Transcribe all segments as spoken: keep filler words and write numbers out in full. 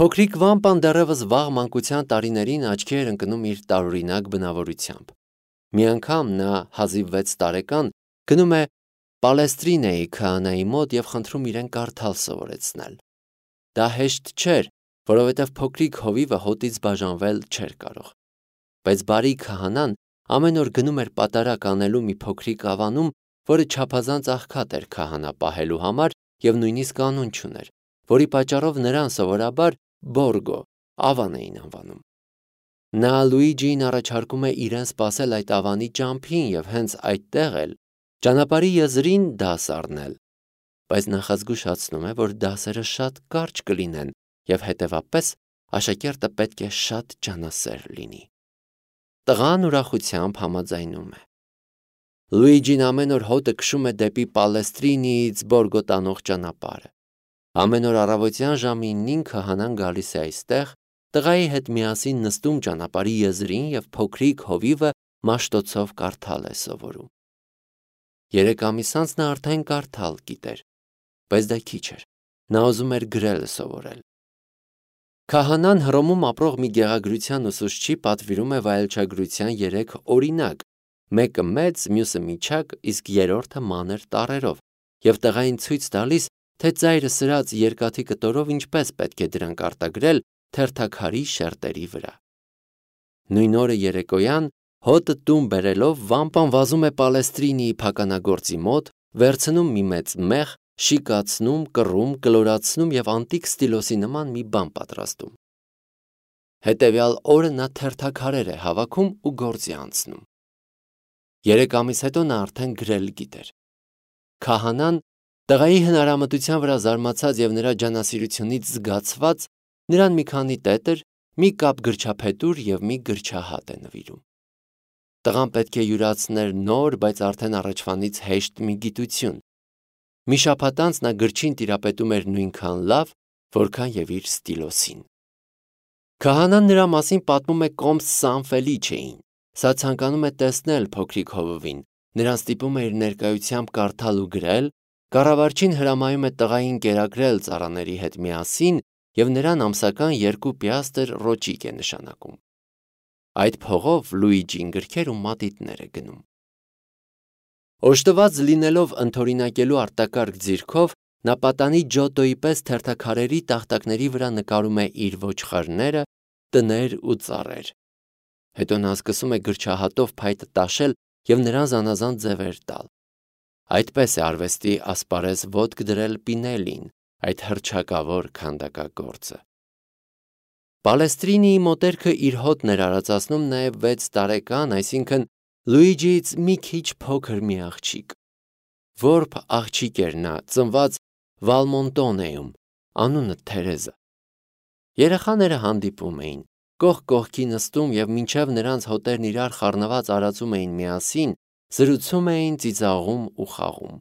Փոքրիկ Վամպան դեռևս վաղ մանկության տարիներին աչքի էր ընկնում իր տարօրինակ բնավորությամբ։ Մի անգամ նա հազիվ վեց տարեկան գնում է Պալեստրինեի քահանայի մոտ և խնդրում իրեն կարդալ սովորեցնել։ Դա հեշտ չէր, որովհետև փոքրիկ հովիվը հոտից բաժանվել չէր կարող։ Բայց բարի քահանան ամեն օր գնում էր պատարագ անելու մի փոքրիկ ավանում, որը չափազանց աղքատ էր քահանա պահելու համար և նույնիսկ անուն չուներ, որի պատճառով նրան սովորաբար Բորգո ավան էին անվանում։ Նա Լուիջիին առաջարկում է իրեն սպասել այդ ավանի ճամփին և հենց այդտեղ էլ ճանապարհի եզրին դաս առնել, բայց նախազգուշացնում է, որ դասերը շատ կարճ կլինեն և հետևապես աշակերտը պետք է շատ ջանասեր լինի։ Տղան ուրախությամբ համաձայնում է։ Լուիջին ամեն օր հոտը քշում է դեպի Պալեստրինիից Բորգո տանող ճանապարհը։ Ամեն օր առավոտյան ժամին քահանան գալիս է այստեղ, տղայի հետ միասին նստում ճանապարհի եզրին և փոքրիկ հովիվը մաշտոցով կարդալ է սովորում։ Երեք ամիս անց նա արդեն կարդալ գիտեր, բայց դա քիչ էր, նա ուզում էր գրել սովորել։ Քահանան Հռոմում ապրող մի գեղագրության ուսուցչի պատվիրում է վայելչագրության երեք օրինակ, մեկը մեծ, մյուսը միջակ, իսկ երրորդը մանր տառերով, և տղային ցույց տալիս, թե ծայրը սրած երկաթի կտորով ինչպես պետք է դրանք արտագրել թերթաքարի շերտերի վրա։ Նույն օրը երեկոյան հոտը տուն բերելով Վամպան վազում է Պալեստրինիի փականագործի մոտ, վերցնում մի մեծ մեղ, շիկացնում, կռում, կլորացնում և անտիկ ստիլոսի նման մի բան պատրաստում։ Հետևյալ օրը նա թերթաքարեր է հավաքում ու գործի անցնում։ Երեք ամիս հետո նա արդեն գրել գիտեր։ Քահանան, տղայի հնարամտության վրա զարմացած և նրա ջանասիրությունից զգացված, նրան մի քանի տետր, մի կապ գրչափետուր և մի գրչահատ է նվիրում։ Տղան պետք է յուրացներ նոր, բայց արդեն առաջվանից հեշտ մի գիտություն։ Մի շաբաթ անց նա գրչին տիրապետում էր նույնքան լավ, որքան և իր ստիլոսին։ Քահանան նրա մասին պատմում է կոմս Սան Ֆելիչեին։ Սա ցանկանում է տեսնել փոքրիկ հովվին, նրան ստիպում է իր ներկայությամբ կարդալ ու գրել, կառավարչին հրամայում է տղային կերակրել ծառաների հետ միասին և նրան ամսական երկու պիաստր ռոճիկ է նշանակում։ Այդ փողով Լուիջին գրքեր ու մատիտներ է գնում։ Օժտված լինելով ընդօրինակելու արտակարգ ձիրքով, նա պատանի Ջոտոյի պես թերթաքարերի տախտակների վրա նկարում է իր ոչխարները, տներ ու ծառեր։ Հետո նա սկսում է գրչահատով փայտը տաշել և նրան զանազան ձևեր տալ։ Այդպես է արվեստի ասպարեզ ոտք դրել Պինելին, այդ հռչակավոր քանդակագործը։ Պալեստրինիի մոտերքը իր հոտն էր արածացնում նաև վեց տարեկան, այսինքն Լուիջիից մի քիչ փոքր մի աղջիկ։ Որբ աղջիկ էր նա, ծնված Վալմոնտոնեում, անունը Թերեզա։ Երեխաները հանդիպում էին, կողք կողքի նստում և մինչև նրանց հոտերն իրար խառնված արածում էին միասին, զրուցում էին, ծիծաղում ու խաղում։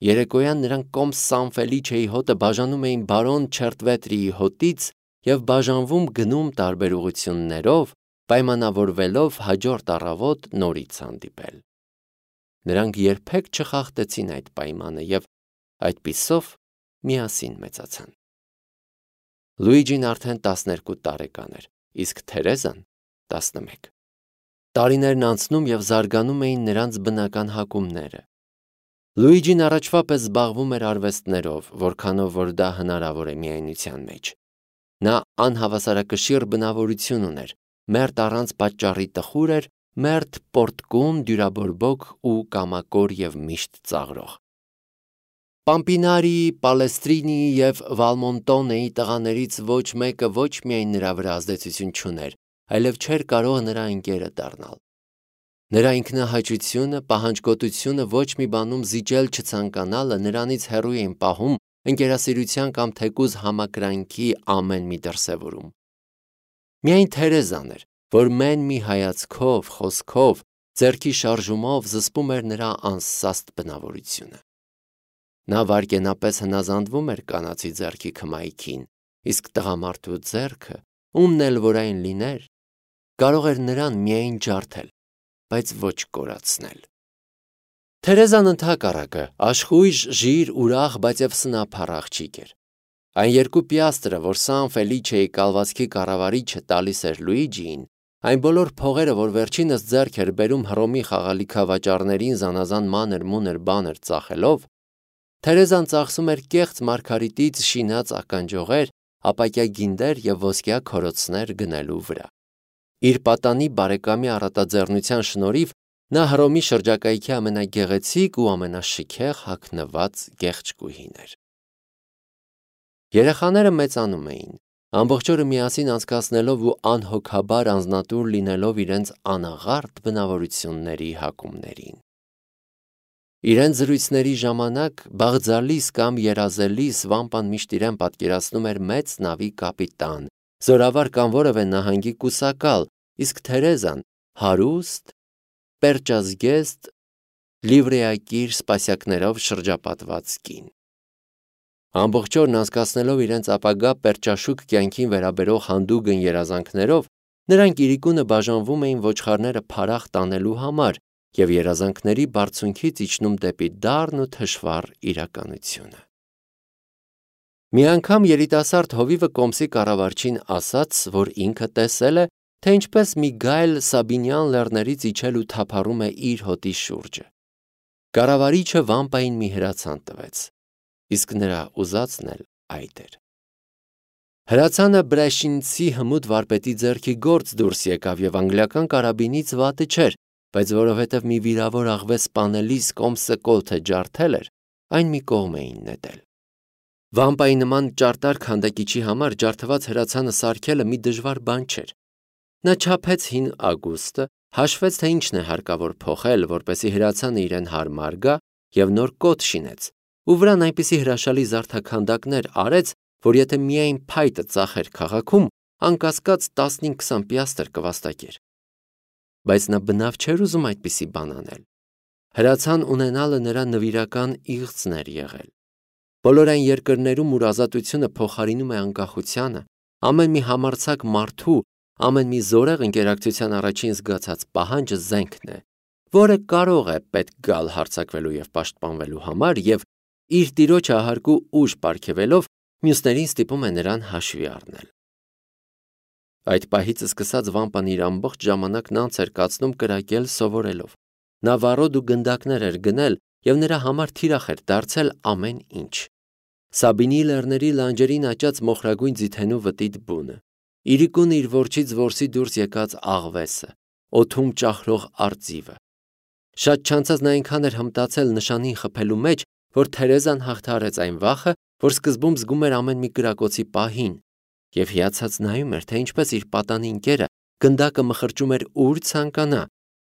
Երեկոյան նրանք կոմս Սան Ֆելիչեի հոտը բաժանում էին բարոն Չերտվետրիի հոտից և բաժանվում գնում տարբեր ուղղություններով, պայմանավորվելով հաջորդ առավոտ նորից հանդիպել։ Նրանք երբեք չխախտեցին այդ պայմանը և այդպիսով միասին մեծացան։ Լուիջին արդեն տասներկու տարեկան էր, իսկ Թերեզան տասնմեկ։ Տարիներն անցնում և զարգանում էին նրանց բնական հակումները։ Լուիջին առաջվա պես զբաղվում էր արվեստներով, որքանով որ դա հնարավոր է միայնության մեջ։ Նա անհավասարակշիռ բնավորություն ուներ, մերթ առանց պատճառի տխուր էր, մերթ պոռթկում, դյուրաբորբոք ու կամակոր և միշտ ծաղրող։ Պամպինարիի, Պալեստրինիի և Վալմոնտոնեի տղաներից ոչ մեկը ոչ միայն նրա վրա ազդեցություն չուներ, այլև չէր կարող նրա ընկերը դառնալ։ Նրա ինքնահաճությունը, պահանջկոտությունը, ոչ մի բանում զիջել չցանկանալը նրանից հեռու էին պահում ընկերասիրության կամ թեկուզ համակրանքի ամեն մի դրսևորում։ Միայն Թերեզան էր, որ մեն մի հայացքով, խոսքով, ձեռքի շարժումով զսպում էր նրա անսաստ բնավորությունը։ Նա վայրկենապես հնազանդվում էր կանացի ձեռքի քմայքին, իսկ տղամարդու ձեռքը, ումն էլ որ այն լիներ, կարող էր նրան միայն ջարդել, բայց ոչ կորացնել։ Թերեզան ընդհակառակը աշխույժ, ժիր, ուրախ, բայց և սնափառ աղջիկ էր։ Այն երկու պիաստրը, որ Սան Ֆելիչեի կալվածքի կառավարիչը տալիս էր Լուիջիին, այն բոլոր փողերը, որ վերջինս ձեռք էր բերում Հռոմի խաղալիքավաճառներին զանազան մանր-մունր բաներ ծախելով, Թերեզան ծախսում էր կեղծ մարգարիտից շինած ականջողեր, ապակյա գինդեր և ոսկյա քորոցներ գնելու վրա։ Իր պատանի բարեկամի առատաձեռնության շնորհիվ նա Հռոմի շրջակայքի ամենագեղեցիկ ու ամենաշքեղ հագնված գեղեցկուհին էր։ Երեխաները մեծանում էին, ամբողջ օրը միասին անցկացնելով ու անհոգաբար անձնատուր լինելով իրենց անաղարտ բնավորությունների հակումներին։ Իրենց զրույցների ժամանակ բաղձալիս կամ երազելիս Վամպան միշտ իրեն պատկերացնում էր մեծ նավի կապիտան, զորավար կամ որևէ նահանգի կուսակալ, իսկ Թերեզան հարուստ, պերճազգեստ, լիվրեակիր սպասյակներով շրջապատված կին։ Ամբողջ օրն անցկացնելով իրենց ապագա պերճաշուք կյանքին վերաբերող հանդուգն երազանքներով, նրանք իրիկունը բաժանվում էին ոչխարները փարախ տանելու համար և երազանքների բարձունքից իջնում դեպի դառն ու թշվառ իրականությունը։ Մի անգամ երիտասարդ հովիվը կոմսի կառավարչին ասաց, որ ինքը տեսել է, թե ինչպես մի գայլ Սաբինյան լեռներից իջել ու թափառում է իր հոտի շուրջը։ Կառավարիչը Վամպային մի հրացան տվեց, իսկ նրա ուզածն էլ այդ էր։ Հրացանը Բրեշինցի հմուտ վարպետի ձեռքի գործ դուրս եկավ և անգլիական կարաբինից վատը չէր, բայց որովհետև մի վիրավոր աղվե սպանելիս կոմսը կոթը ջարդել էր, այն մի կողմ էին նետել։ Վամպայի նման ճարտար քանդակիչի համար ջարդված հրացանը սարքելը մի դժվար բան չէր։ Նա չափեց հին ագուստը, հաշվեց, թե ինչն է հարկավոր փոխել, որպեսզի հրացանը իրեն հարմար գա, և նոր կոթ շինեց, ու վրան այնպիսի հրաշալի զարդաքանդակներ արեց, որ եթե միայն փայտը ծախեր քաղաքում, անկասկած տասնհինգ-քսան պիաստր կվաստակեր։ Բայց նա բնավ չէր ուզում այդպիսի բան անել։ Հրացան ունենալը նրա նվիրական իղձն էր եղել։ Բոլոր այն երկրներում, ուր ազատությունը փոխարինում է անկախությանը, ամեն մի համարձակ մարդու, ամեն մի զորեղ ընկերակցության առաջին զգացած պահանջը զենքն է, որը կարող է պետք գալ հարձակվելու և պաշտպանվելու համար և իր տիրոջը ահարկու ուժ պարգևելով մյուսներին ստիպում է նրան հաշվի առնել։ Այդ պահից սկսած Վամպան իր ամբողջ ժամանակն անց էր կացնում կրակել սովորելով։ Նա վառոդ ու գնդակներ էր գնել և նրա համար թիրախ էր դարձել ամեն ինչ։ Սաբինի լեռների լանջերին աճած մոխրագույն ձիթենու վտիտ բունը, իրիկուն իր որջից որսի դուրս եկած աղվեսը, օդում ճահռող արծիվը։ Շատ չանցած նա այնքան էր հմտացել նշանին խփելու մեջ, որ Թերեզան հաղթահարեց այն վախը, որ սկզբում զգում էր ամեն մի կրակոցի պահին, և հիացած նայում էր, թե ինչպես իր պատանի ընկերը գնդակը մխրճում էր ուր ցանկանա,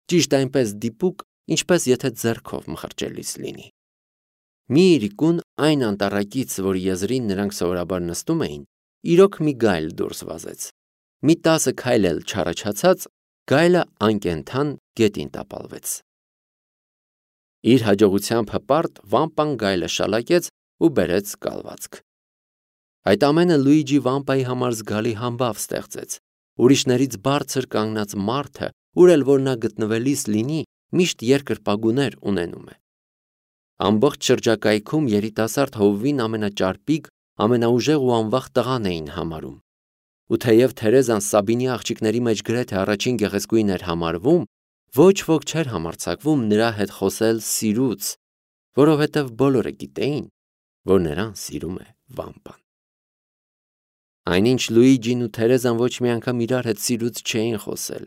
ճիշտ այնպես դիպուկ, ինչպես եթե ձեռքով մխրճելիս լինի։ Մի իրիկուն այն անտառակից, որի եզրին նրանք սովորաբար նստում էին, իրոք մի գայլ դուրս վազեց։ Մի տասը քայլ էլ չառաջացած, գայլը անկենդան գետին տապալվեց։ Իր հաջողությամբ հպարտ Վամպան գայլը շալակեց ու բերեց կալվածք։ Այդ ամենը Լուիջի Վամպայի համար զգալի համբավ ստեղծեց։ Ուրիշներից բարձր կանգնած մարդը, ուր էլ որ նա գտնվելիս լինի, միշտ երկրպագուներ ունենում է։ Ամբողջ շրջակայքում երիտասարդ հովվին ամենաճարպիկ, ամենաուժեղ ու անվախ տղան էին համարում։ Ու թեև Թերեզան Սաբինի աղջիկների մեջ գրեթե առաջին գեղեցկուհին էր համարվում, ոչ ոք չէր համարձակվում նրա հետ խոսել սիրուց, որովհետև բոլորը գիտեին, որ նրան սիրում է Վամպան։ Այնինչ Լուիջին ու Թերեզան ոչ մի անգամ իրար հետ սիրուց չէին խոսել։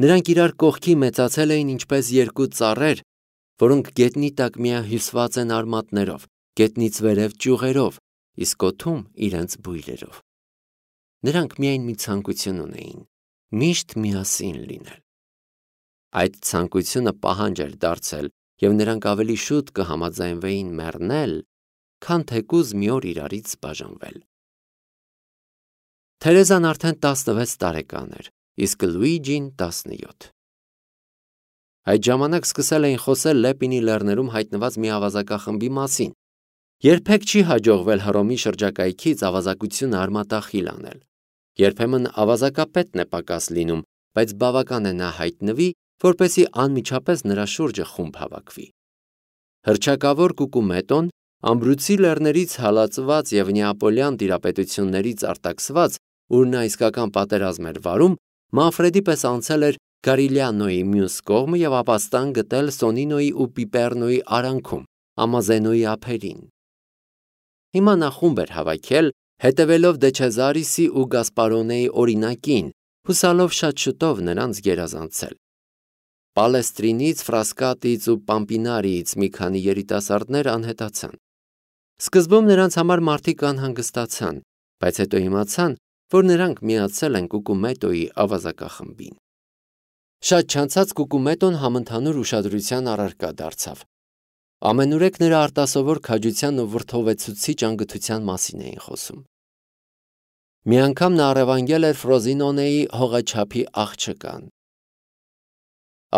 Նրանք իրար կողքի մեծացել էին ինչպես երկու ծառեր, որոնք գետնի տակ միահյուսված են արմատներով, գետնից վերև ճյուղերով, իսկ օդում իրենց բույրերով։ Նրանք միայն մի ցանկություն ունեին՝ միշտ միասին լինել։ Այդ ցանկությունը պահանջ էր դարձել, և նրանք ավելի շուտ կհամաձայնվեին մեռնել, քան թեկուզ մի օր իրարից բաժանվել։ Թերեզան արդեն տասնվեց տարեկան էր, իսկ Լուիջին տասնյոթ։ Այդ ժամանակ սկսել էին խոսել Լեպինի լեռներում հայտնված մի ավազակախմբի մասին։ Երբեք չի հաջողվել Հռոմի շրջակայքից ավազակությունը արմատախիլ անել։ Երբեմն ավազակապետն է պակաս լինում, բայց բավական է նա հայտնվի, որպեսզի անմիջապես նրա շուրջը խումբ հավաքվի։ Հռչակավոր Կուկումետոն Ամբրուցի լեռներից հալածված եւ նեապոլյան տիրապետություններից արտաքսված, ուր նա իսկական պատերազմ էր վարում, Մանֆրեդի պես անցել էր Կարիլյանոյի մյուս կողմը եւ ապաստան գտել Սոնինոյի ու Պիպեռնոյի արանքում, Ամազենոյի ափերին։ Հիմա նա խումբ էր հավաքել, հետևելով Դե Չեզարիսի ու Գասպարոնեի օրինակին, հուսալով շատ շուտով նրանց գերազանցել։ Պալեստրինից, Ֆրասկատից ու Պամպինարիից մի քանի երիտասարդներ անհետացան։ Սկզբում նրանց համար մարդիկ անհանգստացան, բայց հետո իմացան, որ նրանք միացել են Կուկումետոյի ավազակախմբին։ Շատ չանցած Կուկումետոն համընդհանուր ուշադրության առարկա դարձավ։ Ամենուրեք նրա արտասովոր քաջության ու վրդովեցուցիչ անգթության մասին էին խոսում։ Մի անգամ նա առևանգել էր Ֆրոզինոնեի հողաչափի աղջկան։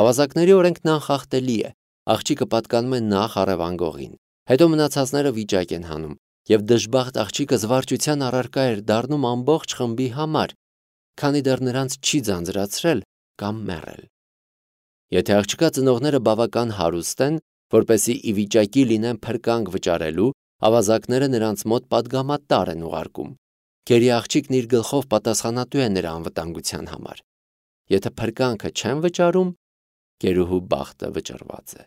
Ավազակների օրենքն անխախտելի է, աղջիկը պատկանում է նախ առևանգողին, հետո մնացածները վիճակ են հանում, եւ դժբախտ աղջիկը զվարճության առարկա էր դառնում ամբողջ խմբի համար, քանի դեռ նրանց չի ձանձրացրել կամ մեռել։ Եթե աղջկա ծնողները բավական հարուստ են, որպեսզի ի վիճակի լինեն փրկանք վճարելու, ավազակները նրանց մոտ պատգամատար են ուղարկում։ Գերի աղջիկն իր գլխով պատասխանատու է նրա անվտանգության համար։ Եթե փրկանքը չեն վճարում, գերուհու բախտը վճռված է։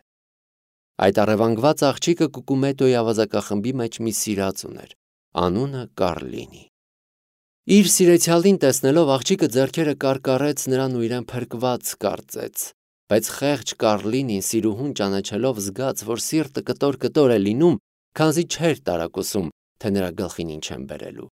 Այդ առևանգված աղջիկը Կուկումետոյի ավազակախմբի մեջ մի սիրած ուներ, անունը Կարլինի։ Իր սիրեցյալին տեսնելով աղջիկը ձեռքերը կարկառեց նրան ու իրեն փրկված կարծեց, բայց խեղճ Կարլինին սիրուհուն ճանաչելով զգաց, որ սիրտը կտոր-կտոր է լինում, քանզի չէր տարակուսում, թե նրա գլխին ինչ են բերելու։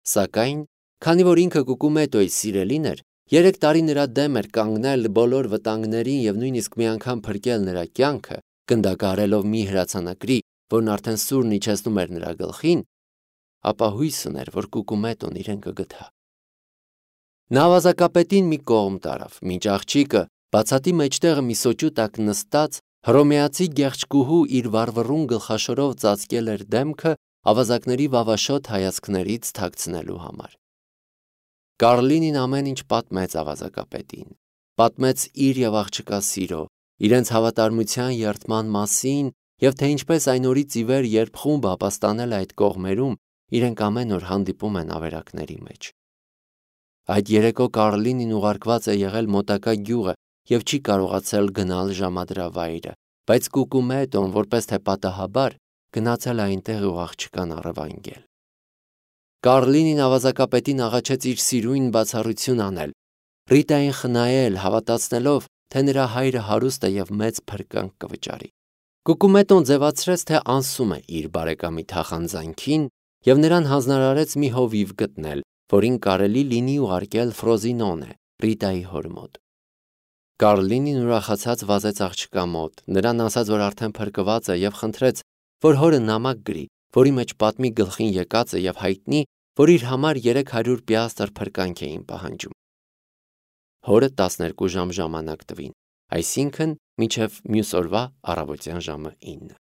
Սակայն, քանի որ ինքը Կուկումետոյի սիրելին էր, երեք տարի նրա դեմ էր կանգնել բոլոր վտանգներին եւ նույնիսկ մի անգամ փրկել նրա կյանքը, գնդակահարելով մի հրացանակրի, որն արդեն սուրն իջեցնում էր նրա գլխին, ապա հույս ուներ, որ Կուկումետոն իրեն կգթա։ Նա ավազակապետին մի կողմ տարավ, մինչ աղջիկը բացատի մեջտեղը մի սոճու տակ նստած, հռոմեացի գեղեցկուհու իր վառվռուն գլխաշորով ծածկել էր դեմքը ավազակների վավաշոտ հայացքներից թաքցնելու համար։ Կարլինին ամեն ինչ պատմեց ավազակապետին, պատմեց իր եւ աղջկա սիրո, իրենց հավատարմության երդման մասին եւ թե ինչպես այն օրից ի վեր, երբ խումբը ապաստանել է այդ կողմերում, իրենք ամեն օր հանդիպում են ավերակների մեջ։ Այդ երեկո Կարլինին ուղարկված է եղել մոտակա գյուղը եւ չի կարողացել գնալ ժամադրավայրը, բայց Կուկումետոն, որպես թե պատահաբար, գնացել այնտեղ ու աղջկան առևանգել։ Կարլինին ավազակապետին աղաչեց իր սիրույն բացառություն անել, Ռիտային խնայել, հավատացնելով, թե նրա հայրը հարուստ է եւ մեծ փրկանք կվճարի։ Կուկումետոն ձևացրեց, թե անսում է իր բարեկամի թախանձանքին եւ նրան հանձնարարեց մի հովիվ գտնել, որին կարելի լինի ուղարկել Ֆրոզինոնե, Ռիտայի հոր մոտ։ Կարլինին ուրախացած վազեց աղջկա մոտ, նրան ասաց, որ արդեն փրկված է եւ խնդրեց, որ հորը նամակ գրի, որի մեջ պատմի գլխին եկածը եւ հայտնի, որ իր համար երեք հարյուր պիաստր փրկանք էին պահանջում։ Հորը տասներկու ժամ ժամանակ տվին, այսինքն մինչև մյուս օրվա առավոտյան ժամը ինը։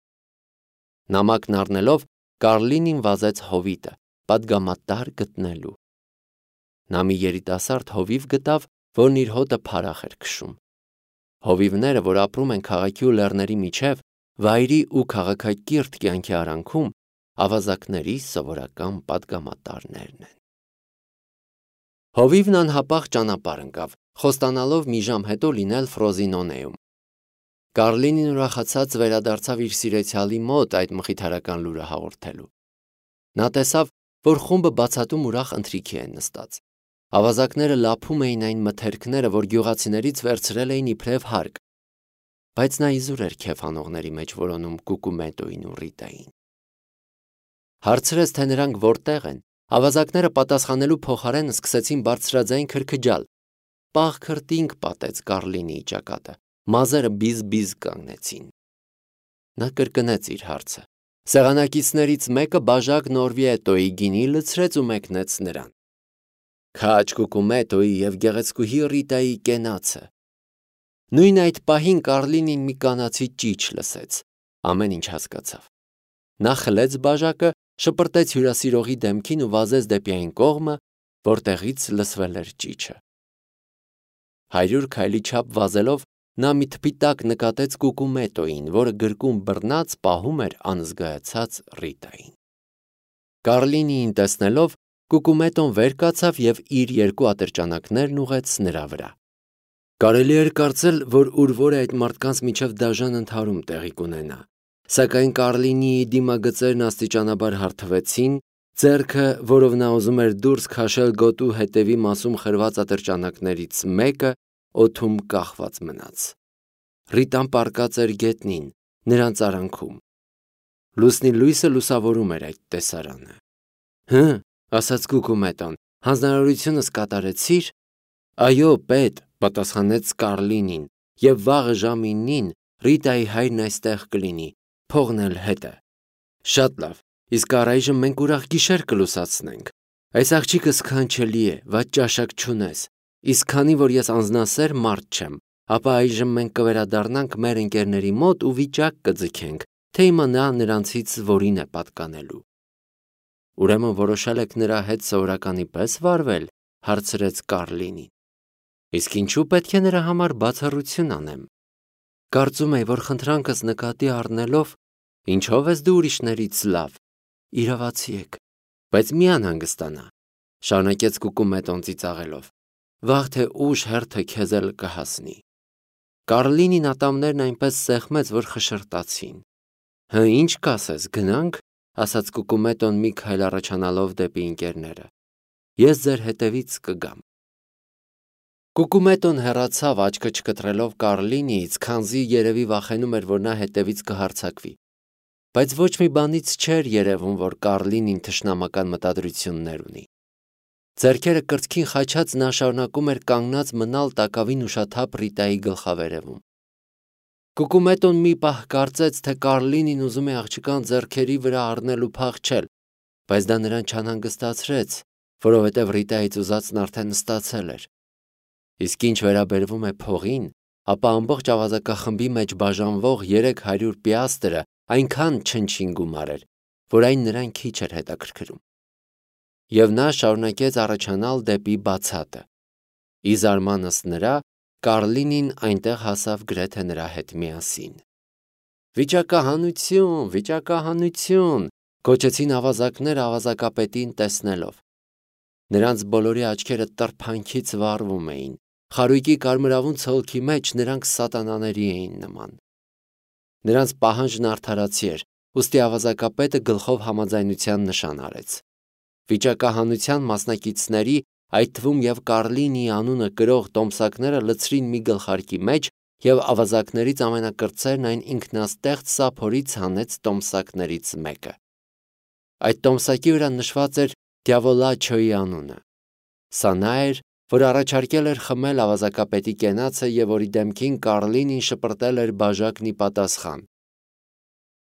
Նամակն առնելով Կարլինին վազեց հովիտը, պատգամատար գտնելու։ Նա մի երիտասարդ հովիվ գտավ, որն իր հոտը փարախ էր քշում։ Հովիվները, որ ապրում են քաղաքի ու լեռների միջև, վայրի ու քաղաքակիրթ կյանքի արանքում, ավազակների սովորական պատգամատարներն են։ Հովիվն անհապաղ ճանապարհ ընկավ, խոստանալով մի ժամ հետո լինել Ֆրոզինոնեում։ Կարլինին ուրախացած վերադարձավ իր սիրեցյալի մոտ այդ մխիթարական լուրը հաղորդելու։ Նա տեսավ, որ խումբը բացատում ուրախ ընթրիքի են նստած։ Ավազակները լափում էին այն մթերքները, որ գյուղացիներից վերցրել էին իբրև հարկ, բայց նա իզուր էր քեֆ անողների մեջ որոնում Կուկումետոյին ու Ռիտային։ Հարցրեց, թե նրանք որտեղ են, ավազակները պատասխանելու փոխարեն սկսեցին բարձրաձայն քրքջալ։ Պաղ քրտինք պատեց Կարլինի ճակատը, մազերը բիզ-բիզ կանգնեցին։ Նա կրկնեց իր հարցը։ Սեղանակիցներից մեկը բաժակ Նորվիետոյի գինի լցրեց ու մեկնեց նրան։ Քաջ Կուկումետոյի եւ գեղեցկուհի Ռիտայի կենացը։ Նույն այդ պահին Կարլինին մի կանացի ճիչ լսեց, ամեն ինչ հասկացավ։ Նա խլեց բաժակը, շպրտեց հյուրասիրողի դեմքին ու վազեց դեպի այն կողմը, որտեղից լսվել էր ճիչը։ Հարյուր քայլի չափ վազելով նա մի թփի տակ նկատեց Կուկումետոյին, որը գրկում բռնած պահում էր անզգայացած Ռիտային։ Կարլինիին տեսնելով Կուկումետոն վեր կացավ և իր երկու ատրճանակներն ուղղեց նրա վրա։ Կարելի էր կարծել, որ ուր որ է այդ մարդկանց միջև դաժան ընդհարում տեղի կունենա, սակայն Կարլինիի դիմագծերն աստիճանաբար հարթվեցին, ձեռքը, որով նա ուզում էր դուրս քաշել գոտու հետևի մասում խրված ատրճանակներից մեկը, օդում կախված մնաց։ Ռիտան պառկած էր գետնին, նրանց արանքում։ Լուսնի լույսը լուսավորում էր այդ տեսարանը։ Հը, ասաց Կուկումետոն, հանձնարարությունս կատարեցի՞ր։ Այո, պետ, պատասխանեց Կարլինին, և վաղը ժամը իննին Ռիտայի հայրն այստեղ կլինի, փողն էլ հետը։ Շատ լավ, իսկ առայժմ մենք ուրախ գիշեր կլուսացնենք։ Այս աղջիկը սքանչելի է, վատ ճաշակ չունես, իսկ քանի որ ես անձնասեր մարդ չեմ, ապա այժմ մենք կվերադառնանք մեր ընկերների մոտ ու վիճակ կձգենք, թե իմանա նրանցից որին է պատկանելու։ Ուրեմն որոշել եք նրա հետ սովորականի պես վարվել, հարցրեց Կարլինին։ Իսկ ինչու պետք է նրա համար բացառություն անեմ։ Կարծում եի, որ խնդրանքս նկատի առնելով, ինչով ես դու ուրիշներից լավ, իրավացի եք, բայց մի անհանգստանա, շարունակեց Կուկումետոն ծիծաղելով, վաղ թե ուշ հերթը քեզ էլ կհասնի։ Կարլինին ատամներն այնպես սեղմեց, որ խշրտացին։ Հը, ինչ կասես, գնանք, ասաց Կուկումետոն մի քայլ առաջանալով դեպի ընկերները։ Ես ձեր հետևից կգամ։ Կուկումետոն հեռացավ, աչքը չկտրելով Կարլինիից, քանզի երևի վախենում էր, որ նա հետևից կհարձակվի։ Բայց ոչ մի բանից չէր երևում, որ Կարլինին թշնամական մտադրություններ ունի։ Ձեռքերը կրծքին խաչած նա շարունակում էր կանգնած մնալ տակավին ուշաթափ Ռիտայի գլխավերևում։ Կուկումետոն մի պահ կարծեց, թե Կարլինին ուզում է աղջկան ձեռքերի վրա առնել ու փախչել, բայց դա նրան չանհանգստացրեց, որովհետև Ռիտայից ուզածն արդեն ստացել էր։ Իսկ ինչ վերաբերվում է փողին, ապա ամբողջ ավազակախմբի մեջ բաժանվող երեք հարյուր պիաստրը այնքան չնչին գումար էր, որ այն նրան քիչ էր հետաքրքրում։ Եվ նա շարունակեց առաջանալ դեպի բացատը։ Ի զարմանս նրա, Կարլինին այնտեղ հասավ գրեթե նրա հետ միասին։ Վիճակահանություն, վիճակահանություն, գոչեցին ավազակները ավազակապետին տեսնելով։ Նրանց բոլորի աչքերը տրփանքից վառվում էին, խարույկի կարմրավուն ցոլքի մեջ նրանք սատանաների էին նման։ Նրանց պահանջն արդարացի էր, ուստի ավազակապետը գլխով համաձայնության նշան արեց։ Վիճակահանության մասնակիցների, այդ թվում և Կարլինիի անունը կրող տոմսակները լցրին մի գլխարկի մեջ, և ավազակներից ամենակրտսերն այն ինքնաստեղծ սափորից հանեց տոմսակներից մեկը։ Այդ տոմսակի վրա նշված էր Դյավոլաչոյի անունը։ Սա նա էր, որ առաջարկել էր խմել ավազակապետի կենացը և որի դեմքին Կարլինին շպրտել էր բաժակն ի պատասխան։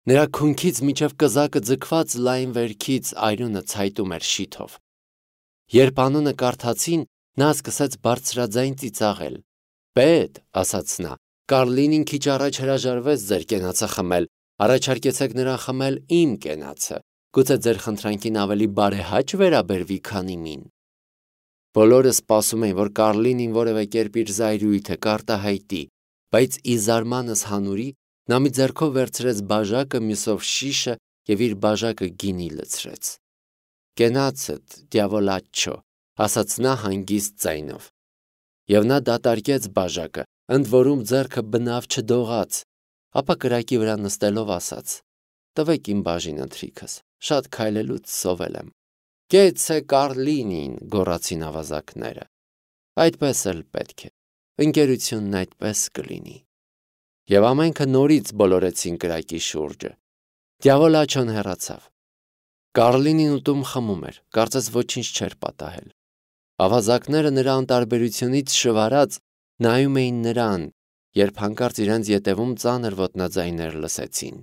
Նրա քունքից մինչև կզակը ձգված լայն վերքից արյունը ցայտում էր շիթով։ Երբ անունը կարդացին, նա սկսեց բարձրաձայն ծիծաղել։ Պետ, ասաց նա, Կարլինին քիչ առաջ հրաժարվեց ձեր կենացը խմել, առաջարկեցեք նրան խմել իմ կենացը, գուցե ձեր խնդրանքին ավելի բարեհաճ վերաբերվի, քանի մին։ Բոլորը սպասում էին, որ Կարլինին որևէ կերպ իր զայրույթը կարտահայտի, բայց ի զարմանս հանուրի նա մի ձեռքով վերցրեց բաժակը, մյուսով շիշը և իր բաժակը գինի լցրեց։ Կենացդ, Դյավոլաչո, ասաց նա հանգիստ ձայնով։ Եվ նա դատարկեց բաժակը, ընդ որում ձեռքը բնավ չդողաց, ապա կրակի վրա նստելով ասաց. Տվեք իմ բաժին ընթրիքս, շատ քայլելուց սովել եմ։ Կեցցե Կարլինին, գոռացին ավազակները։ Այդպես էլ պետք է, ընկերությունն այդպես կլինի։ Եվ ամենքը նորից բոլորեցին կրակի շուրջը։ Դյավոլաչոն հեռացավ։ Կարլինին ուտում խմում էր, կարծես ոչինչ չէր պատահել։ Ավազակները նրա անտարբերությունից շվարած նայում էին նրան, երբ հանկարծ իրենց ետևում ծանր ոտնաձայներ լսեցին։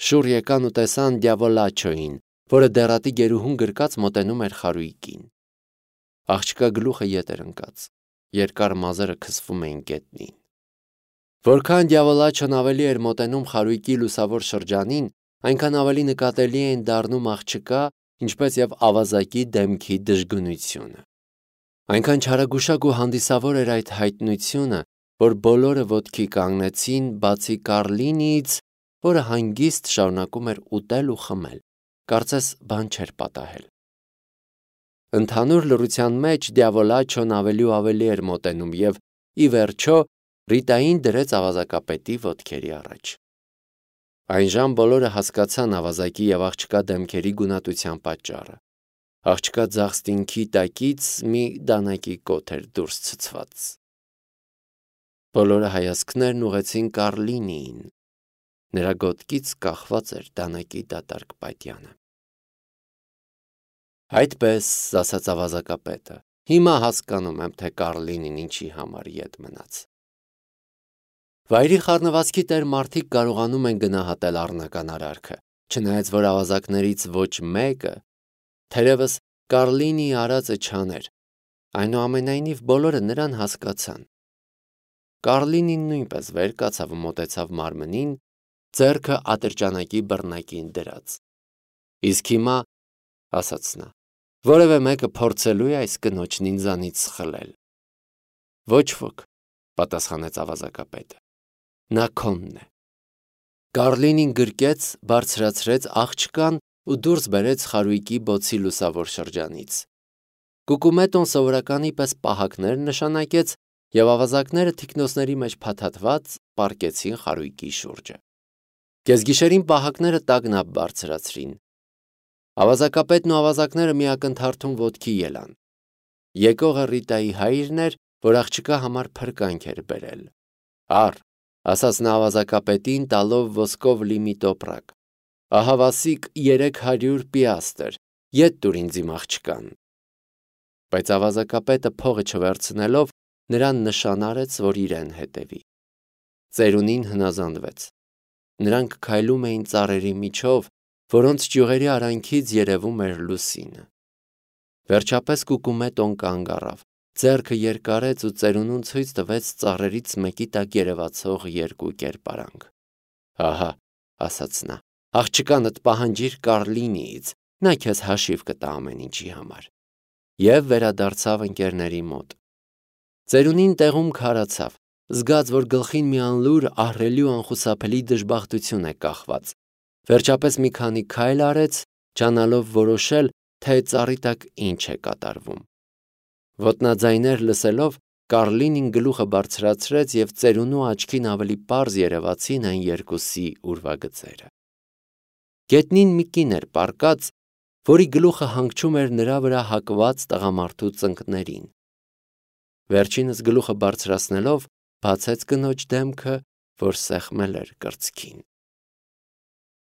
Շուռ եկան ու տեսան Դյավոլաչոյին, որը դեռատի գերուհուն գրկած մոտենում էր խարույկին։ Աղջկա գլուխը ետ էր ընկած, երկար մազերը քսվում էին գետնին։ Որքան Դյավոլաչոն ավելի էր մոտենում խարույկի լուսավոր շրջանին, այնքան ավելի նկատելի էին դառնում աղջկա, ինչպես և ավազակի դեմքի դժգնությունը։ Այնքան չարագուշակ ու հանդիսավոր էր այդ հայտնությունը, որ բոլորը ոտքի կանգնեցին, բացի Կառլինիից, որը հանգիստ շարունակում էր ուտել ու խմել, կարծես բան չէր պատահել։ Ընդհանուր լռության մեջ Դյավոլաչոն ավելի ու ավելի էր մոտենում և, ի վերջո, Ռիտային դրեց ավազակապետի ոտքերի առաջ։ Այնժամ բոլորը հասկացան ավազակի և աղջկա դեմքերի գունատության պատճառը։ Աղջկա ձախ ստինքի տակից մի դանակի կոթ էր դուրս ցցված։ Բոլորը հայացքներն ուղղեցին Կառլինիին։ Նրա գոտկից կախված էր դանակի դատարկ պատյանը։ Այդպես, ասաց ավազակապետը, հիմա հասկանում եմ, թե Կառլինին ինչի համար ետ մնաց։ Վայրի խառնվածքի տեր մարդիկ կարողանում են գնահատել առնական արարքը, չնայած որ ավազակներից ոչ մեկը, թերևս Կառլինիի արածը չաներ, այնուամենայնիվ բոլորը նրան հասկացան։ Կառլինին նույնպես վեր կացավ ու մոտեցավ մարմնին, ձեռքը ատրճանակի բռնակին դրած։ Իսկ հիմա, ասաց նա, որևէ մեկը փորձելու է այս կնոջն ինձանից սխլել։ Ոչ ոք, պատասխանեց ավազակապետը, նա քոնն է։ Կառլինին գրկեց, բարձրացրեց աղջկան ու դուրս բերեց խարույկի բոցի լուսավոր շրջանից։ Կուկումետոն սովորականի պես պահակներ նշանակեց, և ավազակները թիկնոցների մեջ փաթաթված պառկեցին խարույկի շուրջը։ Կեսգիշերին պահակները տագնապ բարձրացրին։ Ավազակապետն ու ավազակները մի ակնթարթում ոտքի ելան։ Եկողը Ռիտայի հայրն էր, որ աղջկա համար փրկանք էր բերել։ Առ, ասաց նա ավազակապետին, տալով ոսկով լի մի տոպրակ, ահա վասիկ երեք հարյուր պիաստր, ետ տուր ինձ իմ աղջկան։ Բայց ավազակապետը փողը չվերցնելով, նրան նշան արեց, որ իրեն հետևի։ Ծերունին հնազանդվեց։ Նրանք քայլում էին ծառերի միջով, որոնց ճյուղերի արանքից երևում էր լուսինը։ Վերջապես Կուկումետոն կանգ առավ, ձեռքը երկարեց ու ծերունուն ցույց տվեց ծառերից մեկի տակ երևացող երկու կերպարանք։ Ահա, ասաց նա, աղջկանդ պահանջիր Կառլինիից, նա քեզ հաշիվ կտա ամեն ինչի համար։ Եվ վերադարձավ ընկերների մոտ։ Ծերունին տեղում քարացավ, զգաց, որ գլխին մի անլուր, ահռելի ու անխուսափելի դժբախտություն է կախված։ Վերջապես մի քանի քայլ արեց, ջանալով որոշել, թե ծառի տակ ինչ է կատարվում։ Ոտնաձայներ լսելով, Կառլինին գլուխը բարձրացրեց և ծերունու աչքին ավելի պարզ երևացին այն երկուսի ուրվագծերը։ Գետնին մի կին էր պառկած, որի գլուխը հանգչում էր նրա վրա հակված տղամարդու ծնկներին։ Վերջինս գլուխը բարձրացնելով, բացեց կնոջ դեմքը, որ սեղմել էր կրծքին։